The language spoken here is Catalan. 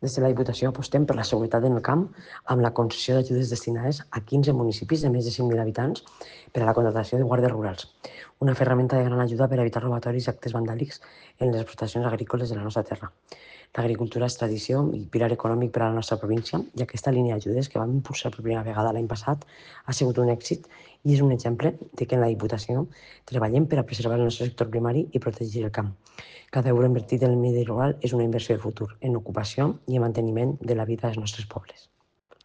Des de la Diputació apostem per la seguretat en el camp amb la concessió d'ajudes destinades a 15 municipis de més de 5.000 habitants per a la contractació de guàrdies rurals, una ferramenta de gran ajuda per evitar robatoris i actes vandàlics en les explotacions agrícoles de la nostra terra. L'agricultura és tradició i pilar econòmic per a la nostra província i aquesta línia d'ajudes que vam impulsar per primera vegada l'any passat ha sigut un èxit i és un exemple de que en la Diputació treballem per a preservar el nostre sector primari i protegir el camp. Cada euro invertit en el medi rural és una inversió de futur, en ocupació i en manteniment de la vida dels nostres pobles.